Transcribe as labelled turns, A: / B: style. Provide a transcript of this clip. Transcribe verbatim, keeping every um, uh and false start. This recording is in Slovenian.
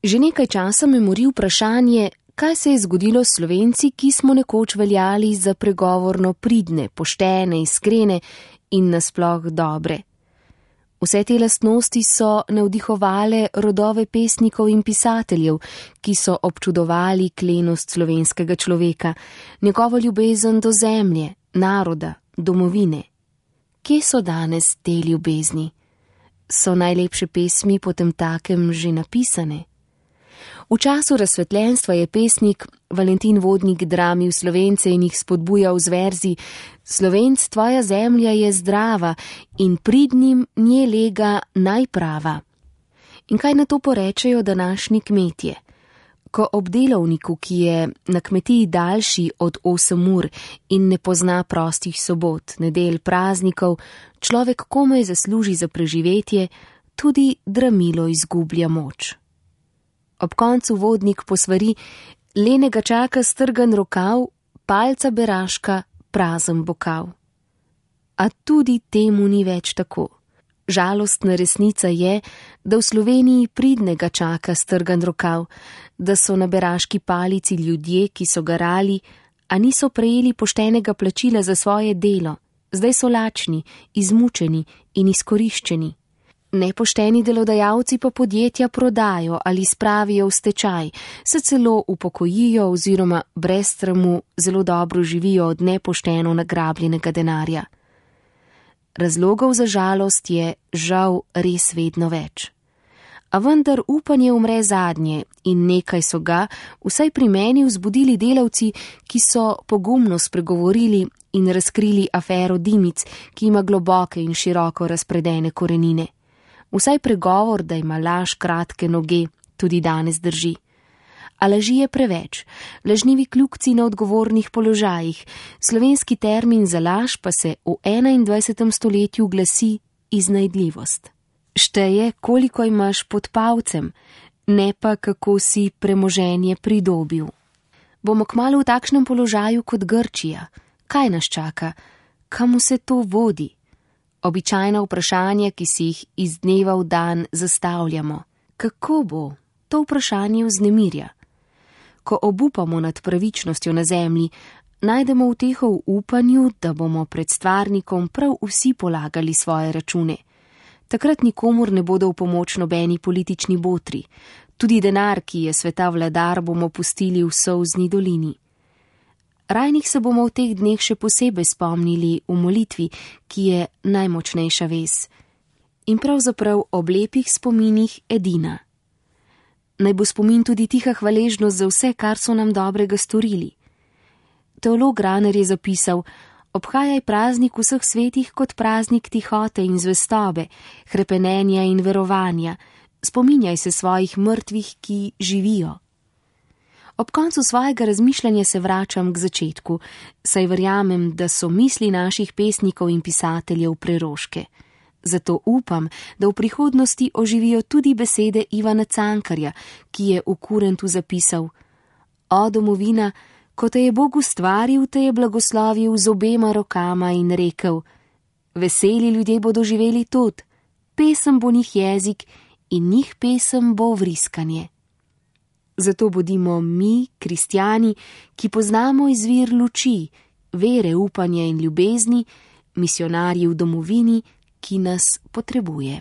A: Že nekaj časa me mori vprašanje, kaj se je zgodilo s Slovenci, ki smo nekoč veljali za pregovorno pridne, poštene, iskrene in nasploh dobre. Vse te lastnosti so navdihovale rodove pesnikov in pisateljev, ki so občudovali klenost slovenskega človeka, njegovo ljubezen do zemlje, naroda, domovine. Kje so danes te ljubezni? So najlepše pesmi potemtakem že napisane? V času razsvetljenstva je pesnik Valentin Vodnik dramil Slovence in jih spodbujal z verzi: Slovenc, tvoja zemlja je zdrava in pridnim nje lega najprava. In kaj na to porečejo današnji kmetje? Ko ob delovniku, ki je na kmetiji daljši od osem ur in ne pozna prostih sobot, nedelj, praznikov, človek komaj zasluži za preživetje, tudi dramilo izgublja moč. Ob koncu Vodnik posvari: lenega čaka strgan rokav, palca beraška, prazen bokav. A tudi temu ni več tako. Žalostna resnica je, da v Sloveniji pridnega čaka strgan rokav, da so na beraški palici ljudje, ki so garali, a niso prejeli poštenega plačila za svoje delo, zdaj so lačni, izmučeni in izkoriščeni. Nepošteni delodajalci pa podjetja prodajo ali spravijo v stečaj, se celo upokojijo oziroma brez stramu zelo dobro živijo od nepošteno nagrabljenega denarja. Razlogov za žalost je žal res vedno več. A vendar upanje umre zadnje in nekaj so ga, vsaj pri meni, vzbudili delavci, ki so pogumno spregovorili in razkrili afero Dimic, ki ima globoke in široko razpredene korenine. Vsaj pregovor, da ima laž kratke noge, tudi danes drži. A laži je preveč, lažnivi kljukci na odgovornih položajih, slovenski termin za laž pa se v enaindvajsetem stoletju glasi iznajdljivost. Šteje, koliko imaš pod palcem, ne pa kako si premoženje pridobil. Bomo kmalu v takšnem položaju kot Grčija. Kaj nas čaka? Kam vse to vodi? Običajna vprašanja, ki si jih iz dneva v dan zastavljamo. Kako bo? To vprašanje vznemirja. Ko obupamo nad pravičnostjo na zemlji, najdemo uteho v upanju, da bomo pred stvarnikom prav vsi polagali svoje račune. Takrat nikomur ne bodo v pomoč nobeni politični botri. Tudi denar, ki je sveta vladar, bomo pustili v solzni dolini. Rajnih se bomo v teh dneh še posebej spomnili v molitvi, ki je najmočnejša vez. In pravzaprav ob lepih spominih edina. Naj bo spomin tudi tiha hvaležnost za vse, kar so nam dobrega storili. Teolog Raner je zapisal: obhajaj praznik vseh svetih kot praznik tihote in zvestobe, hrepenenja in verovanja. Spominjaj se svojih mrtvih, ki živijo. Ob koncu svojega razmišljanja se vračam k začetku, saj verjamem, da so misli naših pesnikov in pisateljev preroške. Zato upam, da v prihodnosti oživijo tudi besede Ivana Cankarja, ki je v Kurentu zapisal: O domovina, ko te je Bog ustvaril, te je blagoslovil z obema rokama in rekel: veseli ljudje bodo živeli tod, pesem bo njih jezik in njih pesem bo vriskanje. Zato bodimo mi, kristjani, ki poznamo izvir luči, vere, upanja in ljubezni, misionarji v domovini, ki nas potrebuje.